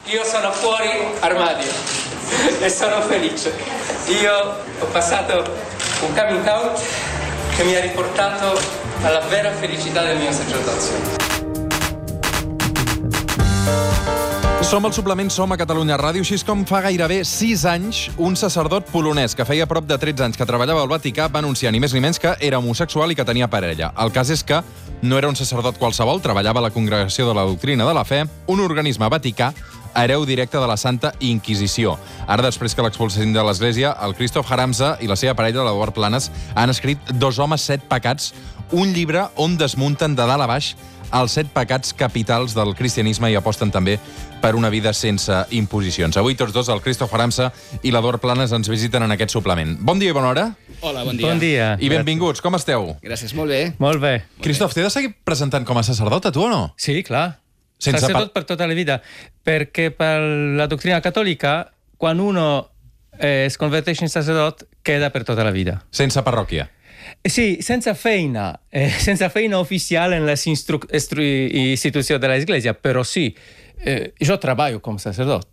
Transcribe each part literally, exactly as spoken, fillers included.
Io sono fuori armadio e sono felice. Io ho passato un coming out che mi ha riportato alla vera felicità del mio sacerdozio. Som al suplement Som a Catalunya Ràdio, així com fa gairebé sis anys un sacerdot polonès que feia prop de tretze anys que treballava al Vaticà va anunciar ni més ni menys que era homosexual i que tenia parella. El cas és que no era un sacerdot qualsevol, treballava a la Congregació de la Doctrina de la Fe, un organisme vaticà hereu directe de la Santa Inquisició. Ara, després que l'expulsessin de l'Església, el Krzysztof Haramza i la seva parella, l'Eduard Planes, han escrit Dos homes, set pecats, un llibre on desmunten de dalt a baix els set pecats capitals del cristianisme i aposten també per una vida sense imposicions. Avui tots dos, el Krzysztof Haramza i l'Eduard Planes, ens visiten en aquest suplement. Bon dia i bona hora. Hola, bon dia. Bon dia. I benvinguts, com esteu? Gràcies, molt bé. Molt bé. Krzysztof, t'he de seguir presentant com a sacerdot, a tu o no? Sí, clar. Sense Sacerdot pa- per tota la vida. Perquè per la doctrina catòlica, quan uno eh, es converteix in sacerdot, queda per tota la vida. Sense parròquia. Sì, senza feina, eh, senza feina ufficiale nelle instru- estru- istituzioni dell'Iglesia, però sì, eh, io treballo come sacerdot.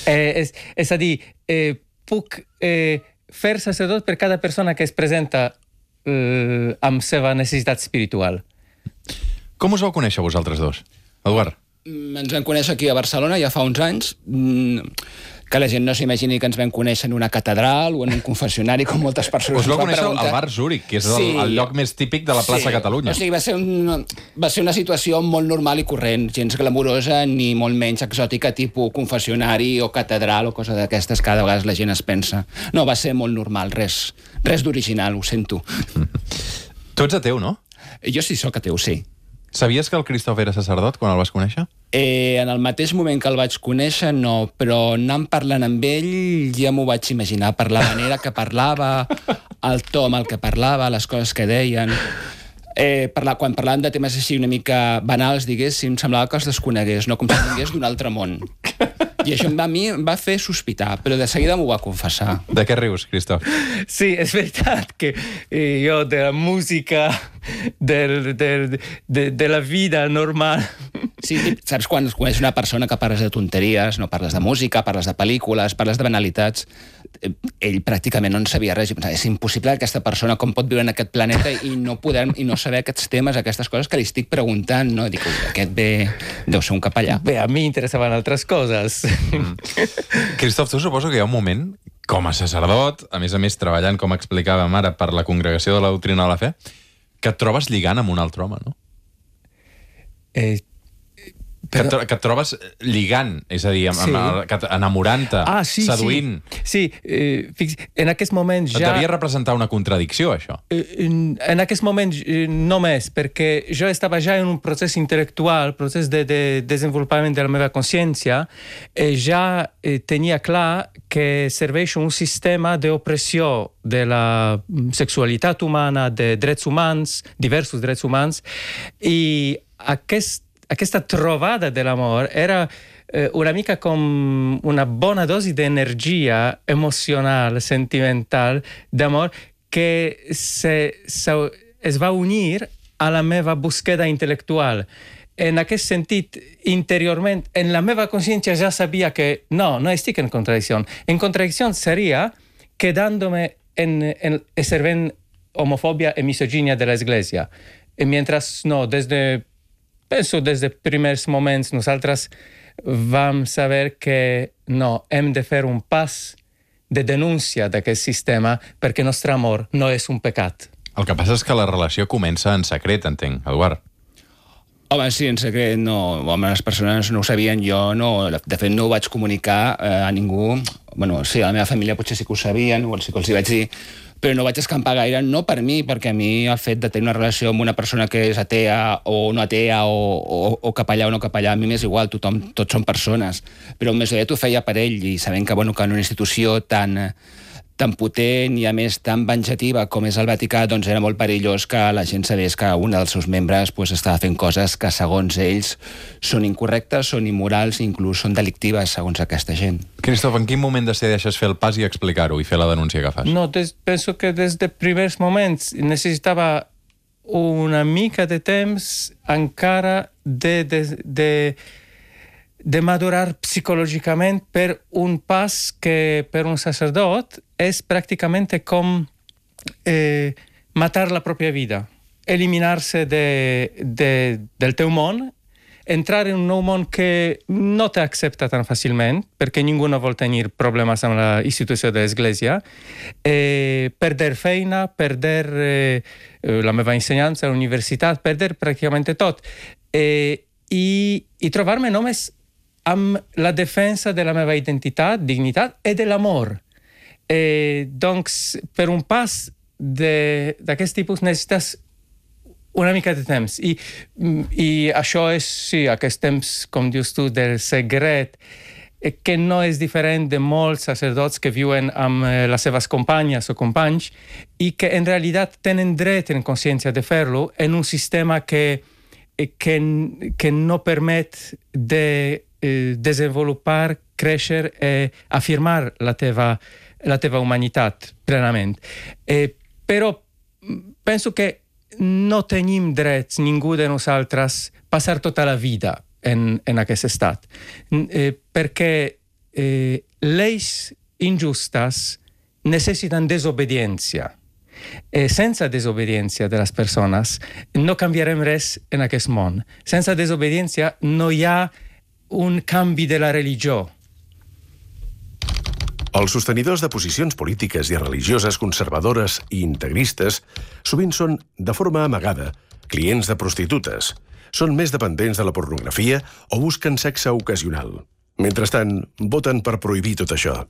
Eh, és, és a dir, eh, puc eh, fer sacerdot per cada persona que es presenta eh, amb seva necessitat espiritual. Com us vau conèixer vosaltres dos? Eduard. Mm, Ens vam conèixer aquí a Barcelona ja fa uns anys. Mm, Que la gent no s'imagini que ens vam conèixer en una catedral o en un confessionari, com moltes persones Us vau ens van conèixer preguntar. al bar Zúrich, que és el, Sí. el lloc més típic de la plaça Sí. Catalunya. O sigui, va ser, un, va ser una situació molt normal i corrent, gens glamurosa ni molt menys exòtica, tipus confessionari o catedral o cosa d'aquestes que cada vegada la gent es pensa. No, va ser molt normal, res, res d'original, ho sento. Tu ets ateu, no? Jo sí sóc ateu, sí. Sabies que el Krzysztof era sacerdot quan el vas conèixer? Eh, en el mateix moment que el vaig conèixer, no, però anant parlant amb ell ja m'ho vaig imaginar, per la manera que parlava, el to amb el que parlava, les coses que deien. Eh, parlar, quan parlàvem de temes així una mica banals, diguéssim, semblava que els desconegués, no com si vingués d'un altre món. I això a mi em va fer sospitar, però de seguida m'ho va confessar. De què rius, Krzysztof? Sì, è verità che eh, io della musica, del, del, de, della vida normale... Sí, saps quan coneixes una persona que parles de tonteries, no parles de música, parles de pel·lícules, parles de banalitats, eh, ell pràcticament no en sabia res. És impossible que aquesta persona com pot viure en aquest planeta i no poder i no saber aquests temes, aquestes coses que li estic preguntant, no? Dic, aquest ve... deu ser un capellà. Beh, a mi interessaven altres coses. Mm. Krzysztof, tu suposo que hi ha un moment, com a sacerdot, a més a més treballant, com explicàvem ara, per la Congregació de la Doctrina de la Fe, que et trobes lligant amb un altre home, no? Eh, Que, et, que et trobes lligant, és a dir, amb, Sí. amb, que- enamorant-te, ah, sí, seduint. sí. Sí, eh, fix, en aquest moment Et ja... devia representar una contradicció, això. Eh, En, en aquest moment eh, només, perquè jo estava ja en un procés intel·lectual, procés de, de desenvolupament de la meva consciència, i ja eh, tenia clar que serveix un sistema d'opressió de la sexualitat humana, de drets humans, diversos drets humans, i aquest Aquesta trobada de l'amor era eh, una mica com una bona dosi d'energia emocional, sentimental, d'amor, que se, se, es va unir a la meva búsqueda intel·lectual. En aquest sentit, interiorment, en la meva consciència ja sabia que no, no estic en contradicció. En contradicció seria quedándome en, en servent homofobia e misoginia de l'Església. E mientras no, desde... Penso des de primers moments nosaltres vam saber que no, hem de fer un pas de denúncia d'aquest sistema perquè el nostre amor no és un pecat. El que passa és que la relació comença en secret, entenc, Eduard. Home, sí, en secret no. Home, les persones no ho sabien, jo no. De fet, no ho vaig comunicar eh, a ningú. Bueno, sí, a la meva família potser sí que ho sabien, o sí que els hi vaig dir, però no vaig escampar gaire, no per mi, perquè a mi el fet de tenir una relació amb una persona que és atea o no atea o, o, o capellà o no capellà, a mi m'és igual, tothom, tots són persones, però més aviat ho feia per ell i sabent que, bueno, que en una institució tan, tan potent i a més tan venjativa com és el Vaticà, doncs era molt perillós que la gent sabés que un dels seus membres pues, estava fent coses que segons ells són incorrectes, són immorals i inclús són delictives segons aquesta gent. Krzysztof, en quin moment decideixes fer el pas i explicar-ho i fer la denúncia que fas? No, des, penso que des de primers moments necessitava una mica de temps encara de, de, de, de madurar psicològicament per un pas que per un sacerdot és pràcticament com eh, matar la pròpia vida, eliminar-se de, de, del teu món, entrar en un nou món que no t'accepta tan fàcilment, perquè ningú no vol tenir problemes amb la institució de l'Església, eh, perder feina, perder eh, la meva ensenyança a la universitat, perder pràcticament tot. Eh, i, I trobar-me només amb la defensa de la meva identitat, dignitat i de l'amor. Eh, doncs, per un pas d'aquest tipus necessites una mica de temps. I, i això és, sí, aquest temps, com dius tu, del secret, que no és diferent de molts sacerdots que viuen amb les seves companyes o companys i que en realitat tenen dret en consciència de fer-lo en un sistema que, que, que no permet de eh, desenvolupar, créixer i afirmar la teva, la teva humanitat plenament. Eh, però penso que no tenim drets, ningú de nosaltres, passar tota la vida en, en aquest estat. Eh, perquè eh, lleis injustes necessiten desobediència. Eh, sense desobediència de les persones no canviarem res en aquest món. Sense desobediència no hi ha un canvi de la religió. Els sostenidors de posicions polítiques i religioses conservadores i integristes sovint són, de forma amagada, clients de prostitutes, són més dependents de la pornografia o busquen sexe ocasional. Mentrestant, voten per prohibir tot això.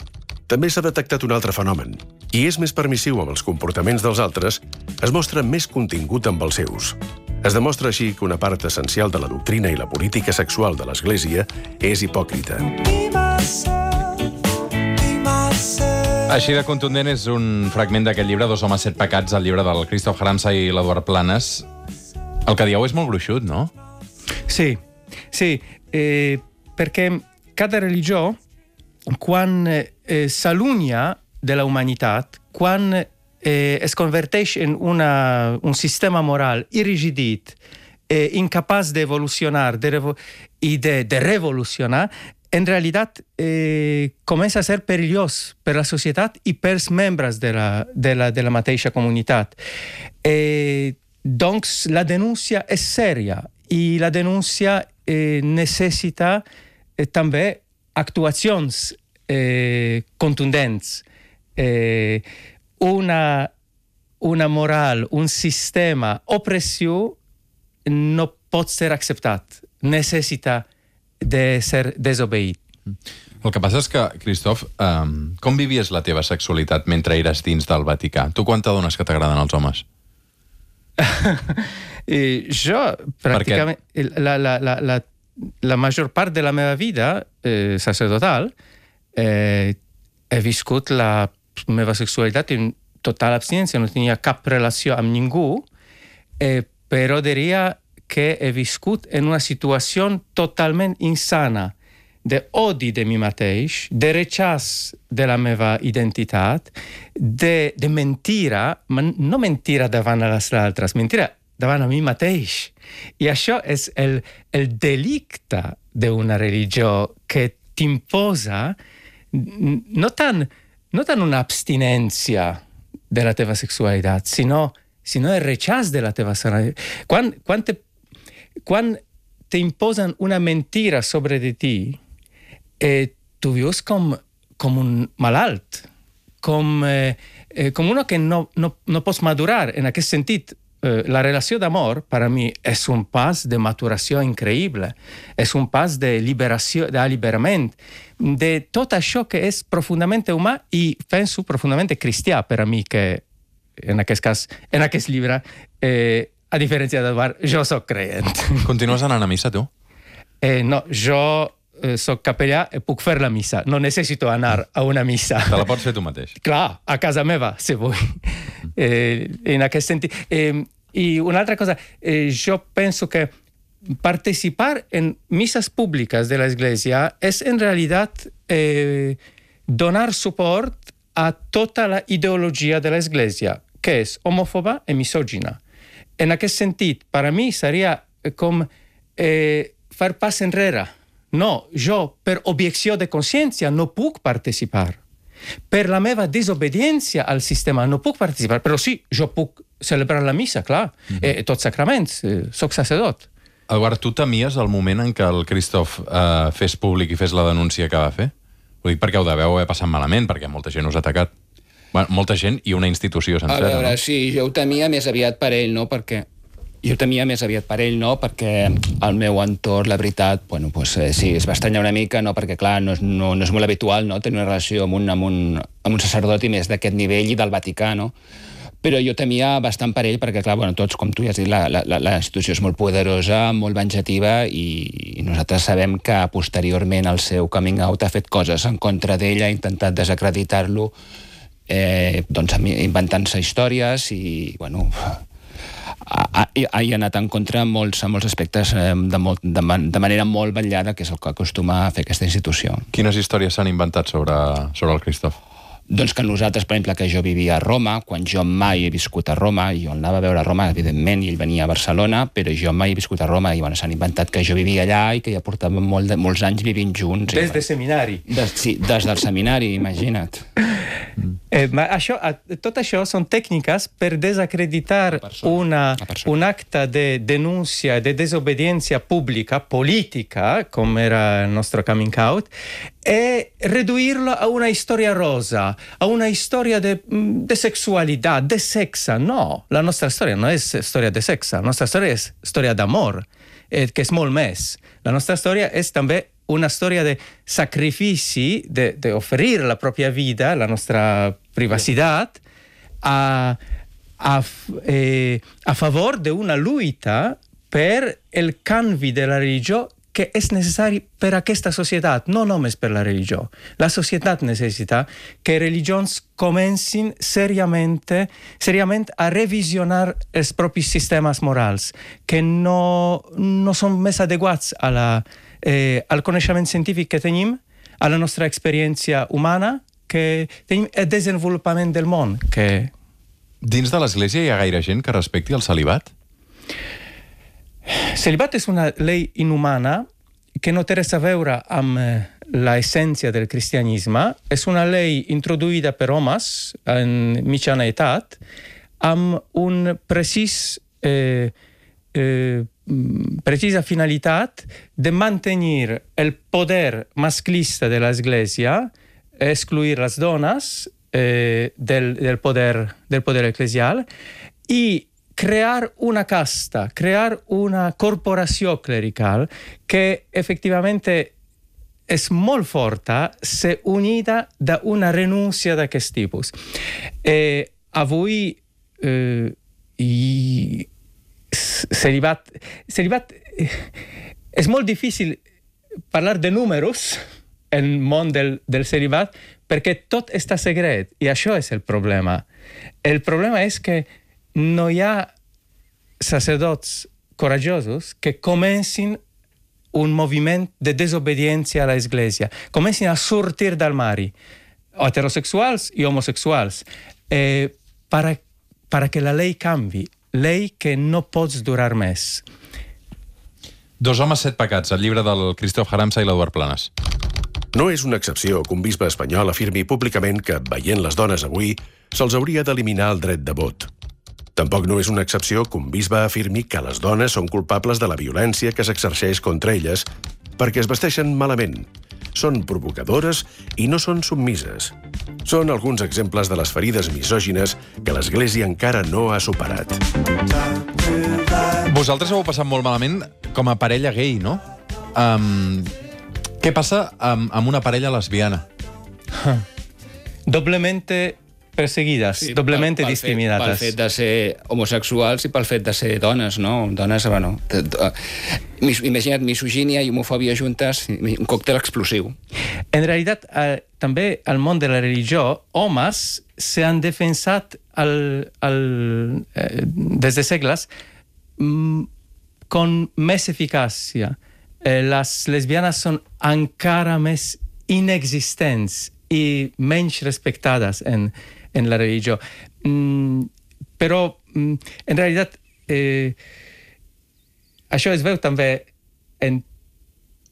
També s'ha detectat un altre fenomen. Qui és més permissiu amb els comportaments dels altres es mostra més contingut amb els seus. Es demostra així que una part essencial de la doctrina i la política sexual de l'Església és hipòcrita. Així de contundent és un fragment d'aquest llibre, Dos homes, set pecats, el llibre del Christoph Haramsa i l'Eduard Planes. El que dieu és molt gruixut, no? Sí, sí, eh, perquè cada religió, quan eh, s'allunya de la humanitat, quan eh, es converteix en una, un sistema moral irrigidit, eh, incapaç d'evolucionar de revo i de, de revolucionar, en realitat eh, comença a ser perillós per la societat i pels membres de la, de la, de la mateixa comunitat. Eh, doncs la denúncia és sèria i la denúncia eh, necessita eh, també actuacions eh, contundents. Eh, una, una moral, un sistema opressiu no pot ser acceptat. Necessita de ser desobeït. El que passa és que, Christoph, um, com vivies la teva sexualitat mentre eres dins del Vaticà? Tu quan t'adones que t'agraden els homes? eh, jo, pràcticament, la, la, la, la, la major part de la meva vida eh, sacerdotal eh, he viscut la meva sexualitat en total abstinència, no tenia cap relació amb ningú, eh, però diria que he viscut en una situació totalment insana d'odi de mi mateix, de rechaç de la meva identitat, de, de mentira, ma no mentira davant a les altres, mentira davant a mi mateix. I això és el, el delicte d'una religió que t'imposa no tant, no tant una abstinència de la teva sexualitat, sinó, sinó el rechaç de la teva sexualitat. Quan, quan te Quan t'imposen una mentira sobre de ti, eh, tu vius com, com un malalt, com, eh, eh, com uno que no, no, no pots madurar. En aquest sentit, eh, la relació d'amor, per a mi, és un pas de maturació increïble, és un pas de liberació, d'alliberament, de tot això que és profundament humà i penso profundament cristià per a mi, que en aquest cas, en aquest llibre, eh, a diferència d'Eduard, jo soc creient. Continues anant a missa, tu? Eh, no, jo eh, soc capellà i puc fer la missa. No necessito anar a una missa. Te la pots fer tu mateix? Clar, a casa meva, si vull. Eh, en aquest sentit. Eh, I una altra cosa, eh, jo penso que participar en misses públiques de l'Església és en realitat eh, donar suport a tota la ideologia de l'Església, que és homòfoba i misògina. En aquest sentit, per a mi seria com eh, fer pas enrere No, jo per objecció de consciència no puc participar. Per la meva desobediència al sistema no puc participar, però sí, jo puc celebrar la missa, clar, mm-hmm. eh, tots sacraments, eh, soc sacerdot. Eduard, tu temies el moment en què el Christoph eh, fes públic i fes la denúncia que va fer? Ho dic perquè ho deveu haver passat malament, perquè molta gent us ha atacat. Bueno, molta gent i una institució sencera, A veure, no? sí, jo ho temia més aviat per ell, no? Perquè jo ho temia més aviat per ell, no? Perquè el meu entorn, la veritat, bueno, pues, eh, sí, es va estranyar una mica, no? Perquè, clar, no és, no, no és molt habitual, no?, tenir una relació amb un, amb un, amb un sacerdot i més d'aquest nivell i del Vaticà, no? Però jo temia bastant per ell perquè, clar, bueno, tots, com tu ja has dit, la, la, la institució és molt poderosa, molt venjativa i nosaltres sabem que posteriorment el seu coming out ha fet coses en contra d'ell, ha intentat desacreditar-lo, eh, doncs, inventant-se històries i, bueno, ha, ha, ha anat en contra en molts, en molts aspectes eh, de, molt, de, man, de manera molt vetllada, que és el que acostuma a fer aquesta institució. Quines històries s'han inventat sobre, sobre el Christoph? Doncs que nosaltres, per exemple, que jo vivia a Roma, quan jo mai he viscut a Roma, jo anava a veure a Roma, evidentment, i ell venia a Barcelona, però jo mai he viscut a Roma, i bueno, s'han inventat que jo vivia allà i que ja portàvem molt de, molts anys vivint junts. Des i, de seminari. Des, sí, des del seminari, imagina't. Eh, ma això, tot això són tècniques per desacreditar una, un acte de denúncia, de desobediència pública, política, com era il nostro coming out, e reduirlo a una historia rosa, a una historia de, de sexualidad, de sexa. No, la nostra storia no és storia de sexa, la nostra storia és storia d'amor, eh, que és molt més. La nostra storia és també una storia de sacrifici, de, de oferir la propria vida, la nostra privacitat, a, a, eh, a favor de una lluita per el canvi de la religió que és necessari per aquesta societat, no només per la religió. La societat necessita que religions comencin seriament, seriament a revisionar els propis sistemes morals, que no, no són més adequats a la, eh, al coneixement científic que tenim, a la nostra experiència humana, que tenim el desenvolupament del món. Que... Dins de l'Església hi ha gaire gent que respecti el celibat? Celibat és una llei inhumana que no té res a veure amb l'essència del cristianisme. És una llei introduïda per homes en mitjana edat amb un precís, eh, eh, precisa finalitat de mantenir el poder masclista de l'Església, excluir les dones eh, del, del, poder, del poder eclesial i crear una casta, crear una corporació clerical que efectivamente és molt forta se unida d'una renúncia d'aquest tipus. Eh, avui eh, i celibat, celibat eh, és molt difícil parlar de números en el món del, del celibat perquè tot està secret i això és el problema. El problema és que no hi ha sacerdots corajosos que comencin un moviment de desobediència a l'Església, comencin a sortir del mari, heterosexuals i homosexuals, eh, para, para que la llei canvi, llei que no pots durar més. Dos homes, set pecats, el llibre del Christoph Haramsa i l'Eduard Planes. No és una excepció que un bisbe espanyol afirmi públicament que, veient les dones avui, se'ls hauria d'eliminar el dret de vot. Tampoc no és una excepció que un bisbe afirmi que les dones són culpables de la violència que s'exerceix contra elles perquè es vesteixen malament, són provocadores i no són submises. Són alguns exemples de les ferides misògines que l'Església encara no ha superat. Vosaltres heu passat molt malament com a parella gay, no? Um, què passa amb, amb una parella lesbiana? Doblemente perseguidas, sí, doblemente pel, pel discriminadas. Fet, pel fet de ser homosexuals i pel fet de ser dones, no? Dones, bueno... Imagina't misogínia i homofòbia juntes, un còctel explosiu. En realitat, eh, també al món de la religió, homes s'han defensat al, al, eh, des de segles mm, con més eficàcia. Eh, les lesbianes són encara més inexistents i menys respectades en en la religió. Mm, però, mm, en realitat, eh, això es veu també en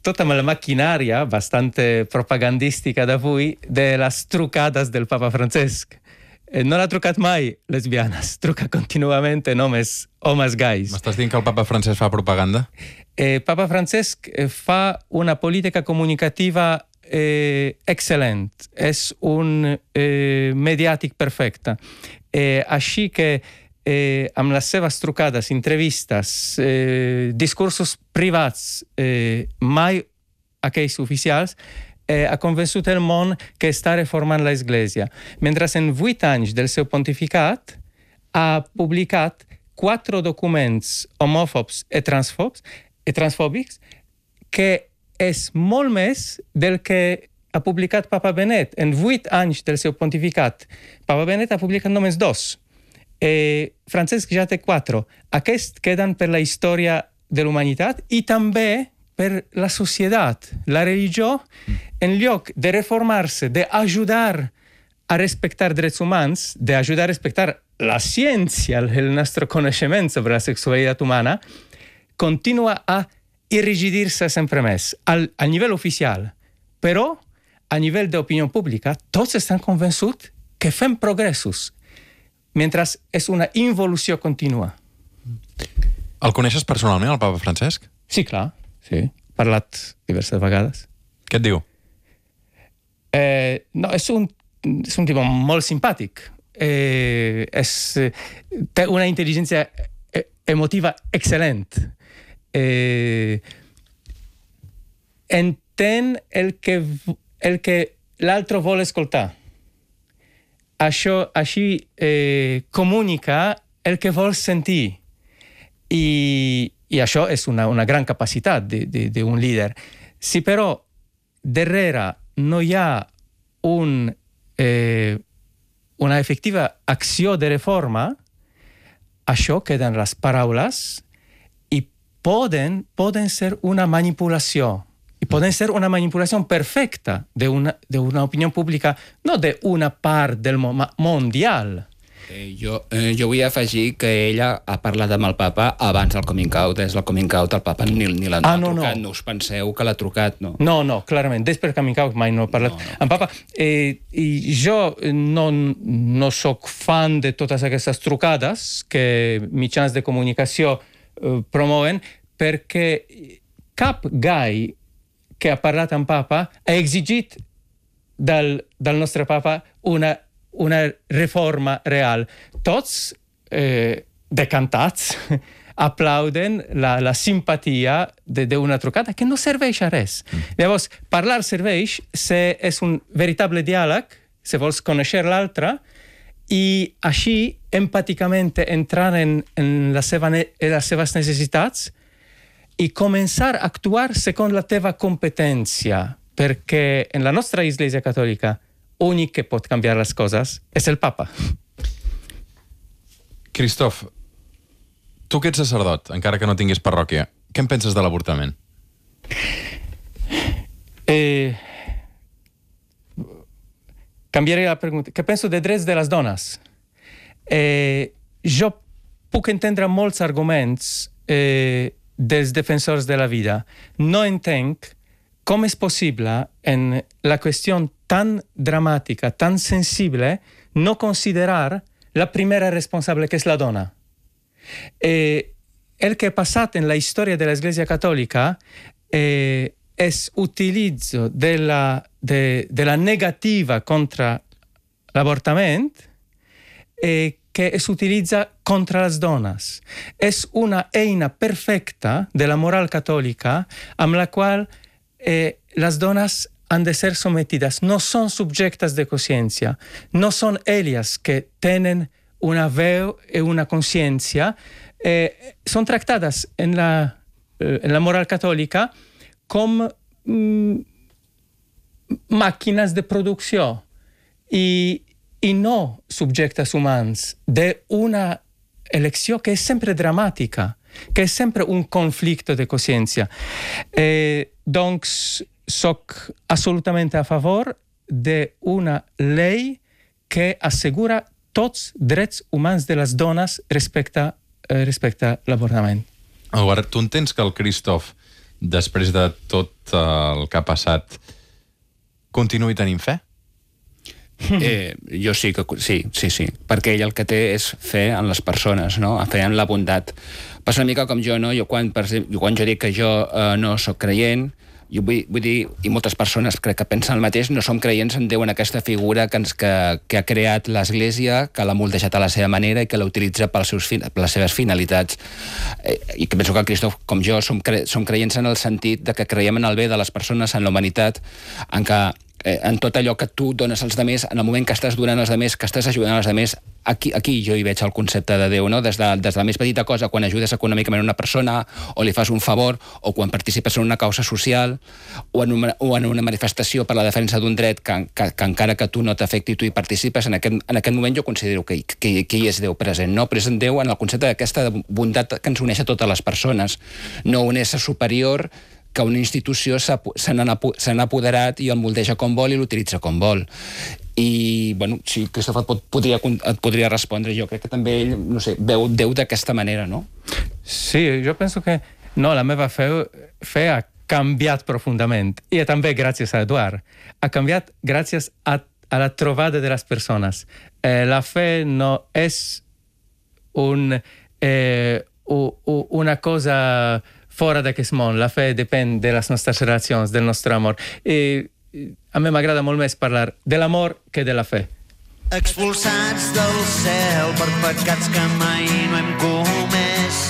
tota la maquinària bastante propagandística d'avui de les trucades del papa Francesc. Eh, no l'ha trucat mai lesbianes, truca contínuament només homes gais. M'estàs dient que el papa Francesc fa propaganda? Eh, papa Francesc eh, fa una política comunicativa eh, excel·lent. És un eh, mediàtic perfecte. Eh, així que eh, amb les seves trucades, entrevistes, eh, discursos privats, eh, mai aquells oficials, eh, ha convençut el món que està reformant l'Església. Mentre en vuit anys del seu pontificat ha publicat quatre documents homòfobs i transfobs i transfòbics que és molt més del que ha publicat Papa Benet. En vuit anys del seu pontificat, Papa Benet ha publicat només dos. Eh, Francesc ja té quatre. Aquests queden per la història de l'humanitat i també per la societat. La religió, en lloc de reformar-se, d'ajudar a respectar drets humans, d'ajudar a respectar la ciència, el nostre coneixement sobre la sexualitat humana, continua a irrigidir-se sempre més al, al nivell oficial. Però, a nivell d'opinió pública, tots estan convençuts que fem progressos, mentre és una involució contínua. El coneixes personalment, el papa Francesc? Sí, clar. Sí, he parlat diverses vegades. Què et diu? Eh, no, és un, és un tipus molt simpàtic. Eh, és, té una intel·ligència emotiva excel·lent. Eh, entén el que, el que l'altre vol escoltar. Això, així eh, comunica el que vol sentir. I, i això és una, una gran capacitat d'un líder. Si però darrere no hi ha un, eh, una efectiva acció de reforma, això queda en les paraules i poden, poden ser una manipulació. I poden ser una manipulació perfecta d'una opinió pública, no d'una part del món mundial. Eh, jo, eh, jo vull afegir que ella ha parlat amb el papa abans del coming out. És el coming out, el papa ni, ni l'ha ah, no, trucat. No. No us penseu que l'ha trucat, no? No, no, clarament. Després del coming out mai no he parlat no, no. amb papa. Eh, I jo no, no soc fan de totes aquestes trucades que mitjans de comunicació eh, promouen, perquè cap gai que ha parlat amb papa ha exigit del, del nostre papa una una reforma real. Tots eh, decantats aplauden la, la simpatia d'una trucada que no serveix a res. Mm. Llavors, parlar serveix se és un veritable diàleg, se vols conèixer l'altre, i així empàticament entrar en, en, la seva, en les seves necessitats i començar a actuar segons la teva competència, perquè en la nostra Església Catòlica únic que pot canviar les coses és el papa. Christoph, tu que ets sacerdot, encara que no tinguis parròquia, què en penses de l'avortament? Eh, canviaré la pregunta. Què penso de drets de les dones? Eh, jo puc entendre molts arguments eh, dels defensors de la vida. No entenc com és possible en la qüestió tan dramàtica, tan sensible, no considerar la primera responsable, que és la dona. Eh, el que ha passat en la història de l'Església Catòlica eh, és utilitzo de la, de, de la negativa contra l'avortament eh, que es utilitza contra les dones. És una eina perfecta de la moral catòlica amb la qual Eh, les dones han de ser sometides, no són subjectes de consciència, no són elles que tenen una veu i una consciència, eh, són tractades en la, eh, en la moral catòlica com mm, màquines de producció i, i no subjectes humans d'una elecció que és sempre dramàtica, que és sempre un conflicte de consciència. Eh, doncs, soc absolutament a favor d'una llei que assegura tots drets humans de les dones respecte, eh, respecte a l'avortament. Eduard, tu entens que el Christoph després de tot el que ha passat, continuï tenint fe? Eh, jo sí, que sí, sí, sí, perquè ell el que té és fe en les persones, no? Fe en la bondat. Passa una mica com jo, no? Jo quan, per exemple, quan jo dic que jo eh, no sóc creient, jo vull, vull dir, i moltes persones crec que pensen el mateix, no som creients en Déu, en aquesta figura que, ens, que, que ha creat l'Església, que l'ha moldejat a la seva manera i que la utilitza pels seus, per les seves finalitats. Eh, I que penso que el Cristòf, com jo, som, cre som creients en el sentit de que creiem en el bé de les persones, en la humanitat, en que en tot allò que tu dones als demés, en el moment que estàs donant als demés, que estàs ajudant als demés, aquí, aquí jo hi veig el concepte de Déu, no? Des de, des de la més petita cosa, quan ajudes econòmicament una persona, o li fas un favor, o quan participes en una causa social, o en una, o en una manifestació per la defensa d'un dret que, que, que encara que tu no t'afecti, tu hi participes, en aquest, en aquest moment jo considero que, que, que hi és Déu present, no? Però és en Déu en el concepte d'aquesta bondat que ens uneix a totes les persones, no un ésser superior que una institució se n'ha apoderat i el moldeja com vol i l'utilitza com vol. I, bueno, sí, Cristòf et, pot, podria, et podria respondre. Jo crec que també ell, no sé, veu Déu d'aquesta manera, no? Sí, jo penso que no, la meva fe, fe ha canviat profundament. I també gràcies a Eduard. Ha canviat gràcies a, a la trobada de les persones. Eh, la fe no és un, eh, una cosa fora d'aquest món. La fe depèn de les nostres relacions, del nostre amor. I a mi m'agrada molt més parlar de l'amor que de la fe. Expulsats del cel per pecats que mai no hem comès.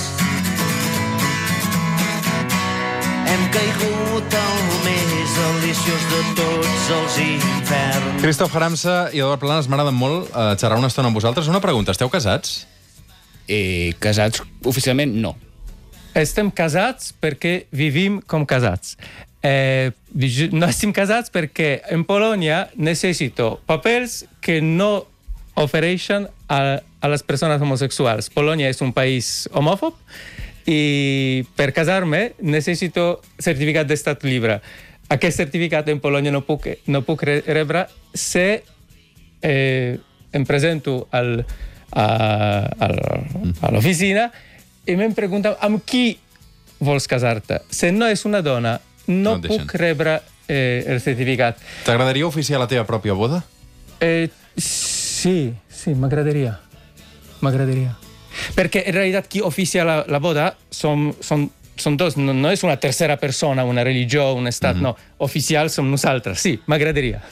Hem caigut al més deliciós de tots els inferns. Cristòf Haramsa i Eduard Planas, m'agraden molt eh, xerrar una estona amb vosaltres. Una pregunta, esteu casats? Eh, casats oficialment no. Estem casats perquè vivim com casats. Eh, no estem casats perquè en Polònia necessito papers que no ofereixen a, a les persones homosexuals. Polònia és un país homòfob i per casar-me necessito certificat d'estat lliure. Aquest certificat en Polònia no puc, no puc rebre si eh, em presento al, a, a, a l'oficina i em pregunten amb qui vols casar-te. Si no és una dona, no, no puc rebre eh, el certificat. T'agradaria oficiar la teva pròpia boda? Eh, sí, sí, m'agradaria. M'agradaria. Perquè en realitat qui oficia la, la boda són, són, són dos, no, no és una tercera persona, una religió, un estat, mm-hmm. no. Oficial som nosaltres, sí, m'agradaria.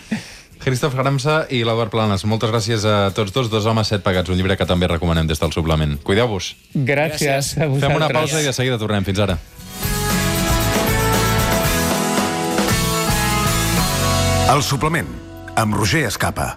Cristòf Haramsa i l'Eduard Planas, moltes gràcies a tots dos. Dos homes, set pegats, un llibre que també recomanem des del suplement. Cuideu-vos. Gràcies a vosaltres. Fem una pausa i de seguida tornem. Fins ara. El suplement, amb Roger Escapa.